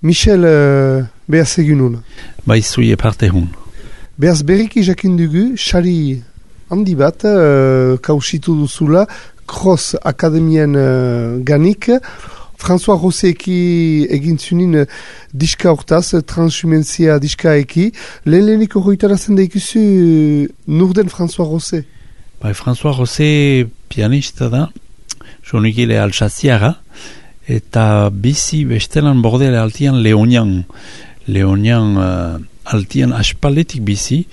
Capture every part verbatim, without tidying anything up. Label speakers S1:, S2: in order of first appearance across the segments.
S1: Michel, uh, behaz egunun.
S2: Bai zui eparte hun.
S1: Behaz berriki jakin dugu, sari handi bat, uh, kausitu duzula, Cross Akademien uh, ganik, François Rosseki egin zunin uh, diska hortaz, transhumentzia diska eki. Lehen leheniko hoitarazen da ikusi uh, nurden François Rosse?
S2: Bai, François Rosse pianista da, sonikile alsaziara, eta bizi bestelan bordele altian Leonian. Leonian uh, altian aspaletik bizi,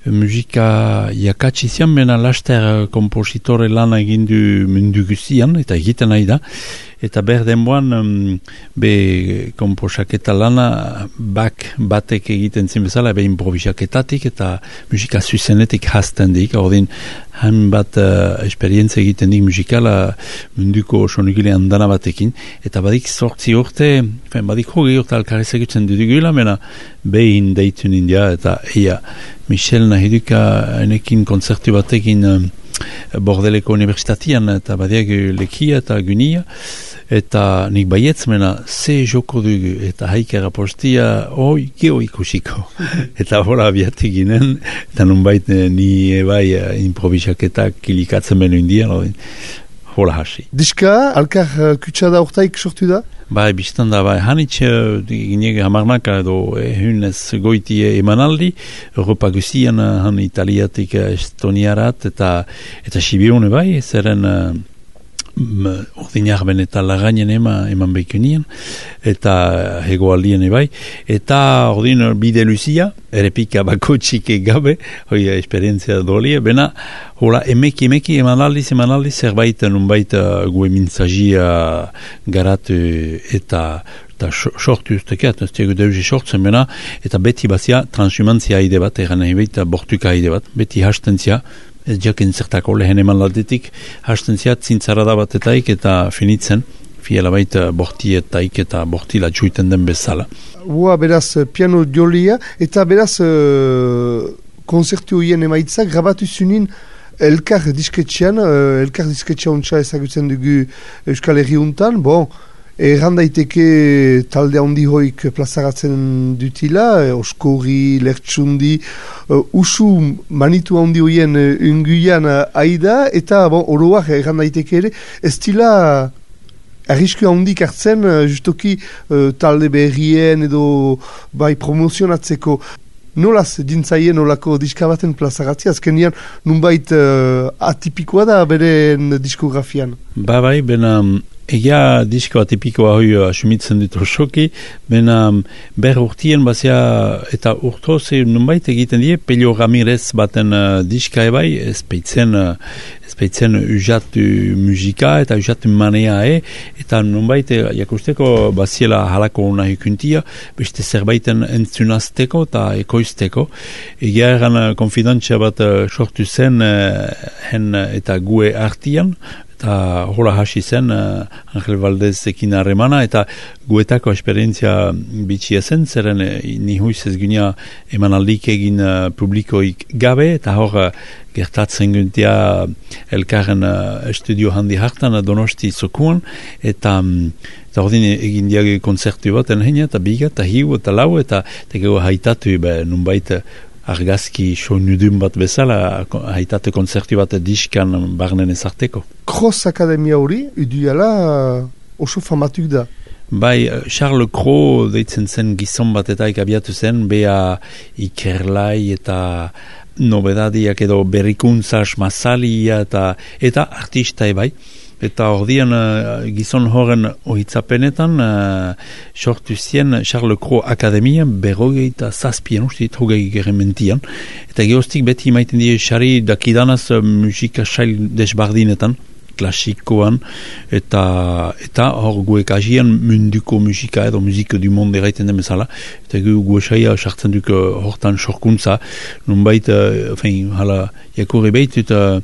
S2: musika jakatsi zian, bena laster kompositore lana egindu mundu guzian, eta egiten nahi da. Eta berdenboan, um, be komposaketa lana bak batek egiten zin bezala, be improvisaketatik eta musika zuzenetik hasten dik. Ordin, hain bat uh, esperientzia egiten dik musikala munduko sonigile handana batekin. Eta badik sortzi urte, fen, badik hogi urte alkarez egutzen dudugula, mena behin deitun india, eta eia, Michel nahiduka enekin konzertu batekin um, Bordeleko Universitatian, eta badiak lekia eta gunia, eta nik baietz mena ze joko dugu, eta haikera postia, oi, geho ikusiko. Eta hola abiatik ginen, eta nunbait ni ebai improvisaketak kilikatzen benu indian, hola hasi.
S1: Diska, alkar uh, kutsada urtaik sortu da?
S2: Bai, biztan da, bai, hanitz ginege hamarnaka edo ehunez goiti emanaldi, Europa guzian han italiatik estoniarat, eta eta Sibiune bai, zeren uh, ordinarben eta lagainen ema, eman behikunien, eta hegoaldien bai, eta ordin bide luzia, errepika bako txike gabe, hoi esperientzia dolie, bena, hola, emeki, emeki, emanaldiz, emanaldiz, zerbait, nunbait, gue mintzagia garatu eta eta sortu ustekeat, ez diegu deuzi sortzen bena, eta beti bazia transhumantzia haide bat, eran nahi behit, bortuka haide bat, beti hastentzia, ez jaken zertako lehen eman laldetik, hastentzia zintzarada batetaik eta finitzen, fiela baita bortietaik eta bortila txuiten den bezala.
S1: Ua, beraz, piano jolia, eta beraz, uh, konzertu hien emaitzak, grabatu zunin, elkar disketxean, uh, elkar disketxean ontsa ezagutzen dugu Euskal Herri untan, bon, erran daiteke talde handi hoik plazaratzen dutila, eh, Oskorri, Lertsundi, uh, usu manitu handi hoien uh, unguian uh, aida, eta bon, oroak erran daiteke ere, ez dila arrisku handik hartzen, uh, justoki uh, talde berrien edo bai promozionatzeko. Nolaz dintzaien olako diska baten plazaratzea, azkenian nunbait uh, atipikoa da beren diskografian?
S2: Ba bai, bena egia disko atipikoa hoi asumitzen dut osoki, bena ber urtien bazia eta urtoz nunbait egiten die, Pelio Ramirez baten uh, diska ebai, ezpeitzen uh, ezpeitzen ujatu musika eta ujatu manea e, eta nunbait jakusteko baziela halako nahi kuntia, beste zerbaiten entzunazteko eta ekoizteko. Egia eran uh, konfidantzia bat uh, sortu zen uh, hen eta gue artian, eta hola hasi zen uh, Angel Valdez ekin harremana, eta guetako esperientzia bitxia zen, zeren uh, ni huiz ez gunia emanaldik egin uh, publikoik gabe, eta hor uh, gertatzen guntia elkarren uh, estudio handi hartan uh, Donosti zokuan, eta um, eta ordin egin diage konzertu bat enheina, eta biga, eta hiu, eta lau, eta tego haitatu be, nunbait argazki soinudun bat bezala, haitate konzertu bat diskan barnen ezarteko.
S1: Cross Akademia hori, iduela oso famatuk da.
S2: Bai, Charles Cros deitzen zen gizon bat eta ikabiatu zen, bea ikerlai eta nobedadiak edo berrikuntza masalia eta, eta artista ebai. Eta ordian uh, gizon horren ohitzapenetan uh, sortu zien Charles Cros Akademia berrogei eta zazpien ustit hogei gerementian. Eta geostik beti maiten die xari dakidanaz uh, musika sail desbardinetan, klasikoan, eta eta hor guek agian munduko musika edo musika du monde eraiten den bezala. Eta gu guesaia sartzen duk uh, hortan sorkuntza, nunbait, uh, fein, hala, jakurri behitut, uh,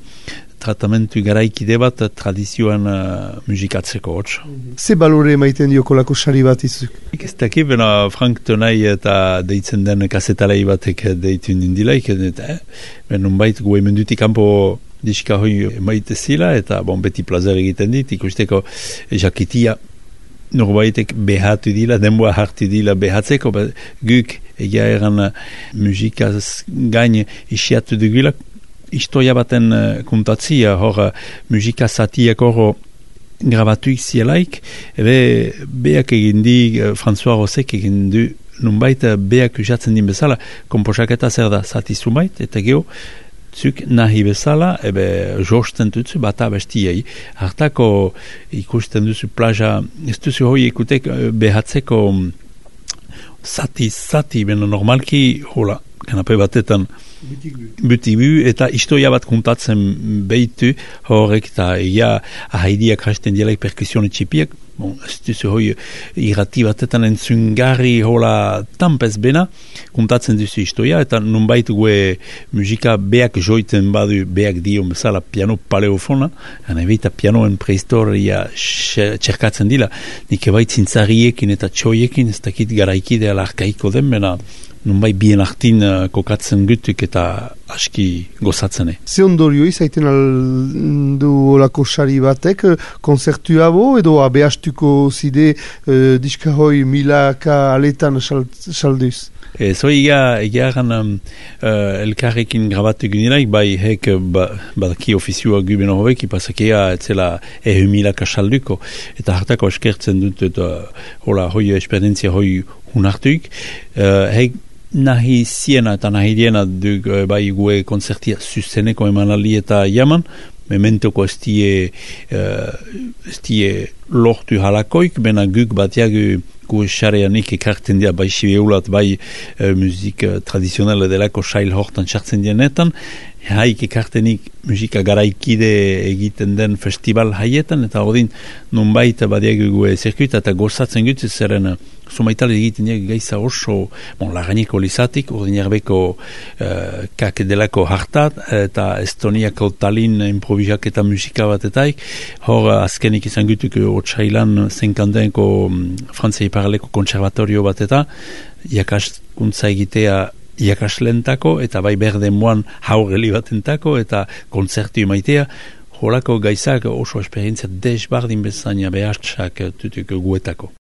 S2: tratamentu garaikide bat tradizioan uh, musikatzeko hotz.
S1: Ze balore maiten dioko lako sari bat izuk?
S2: Ez dakit, bena Frank Tonai eta deitzen den kasetalei batek deitun dindilaik, eta eh, benun bait gue mendutik kanpo diska hoi maite zila, eta bon, beti plazer egiten dit, ikusteko jakitia norbaitek behatu dila, denboa hartu dila behatzeko, ba, guk egia eran uh, musikaz gain isiatu dugula, historia baten uh, kontatzia, hor uh, musika zatiak hor grabatuik zielaik, ebe beak egin di, uh, François Rosek egin du, nunbait uh, beak usatzen din bezala, komposaketa zer da, zati zumait, eta geho, zuk nahi bezala, ebe josten dutzu bata bestiai. Hartako ikusten duzu plaja, ez duzu hoi ikutek behatzeko zati, zati, beno normalki, hola, kanape batetan, butigu, eta historia bat kontatzen behitu, horrek eta ia ahaidiak hasten dielaik perkusione txipiak, bon, ez duzu hoi irrati batetan entzungarri hola tampez bena, kontatzen duzu historia, eta nunbait gue musika beak joiten badu beak dio bezala piano paleofona, gana ebita pianoen prehistoria txerkatzen dila, nik ebait zintzariekin eta txoiekin, ez dakit garaikidea larkaiko den, bena nunbai bien artin uh, kokatzen gutuk eta aski gozatzene.
S1: Ze ondorio izaiten aldu olako sari batek, konzertu abo edo abeastuko zide uh, diska hoi milaka aletan salduz?
S2: E, zo egia, egia egan um, uh, elkarrekin grabatu gunilaik, bai hek ba, badaki ofizioa guben horrek, ipasakea etzela ehu milaka salduko, eta hartako eskertzen dut, eta hola, hoi esperientzia hoi hunartuik, uh, hek nahi ziena eta nahi diena duk bai gue konzertia zuzeneko emanali eta jaman, mementoko ez die, uh, ez die lortu halakoik, bena guk batiagu gu xareanik ekartzen dira bai sibeulat, bai uh, musik uh, tradizionale delako sail hortan txartzen dienetan, haik ekartenik musika garaikide egiten den festival haietan, eta ordin nunbait badiagu gue zirkuita eta gozatzen gutu zeren sumaitale egiten dira gaiza oso, bon, laganiko lizatik, ordin erbeko uh, kak delako hartat, eta Estoniako Tallinn improvisak eta musika bat etaik, hor azkenik izan gutuk otsailan zenkandenko um, Frantzia iparaleko konservatorio bat eta jakaskuntza egitea jakaslentako, eta bai berde moan haureli batentako, eta kontzertu maitea, holako gaizak oso esperientzia desbardin bezaina behartsak tutuk guetako.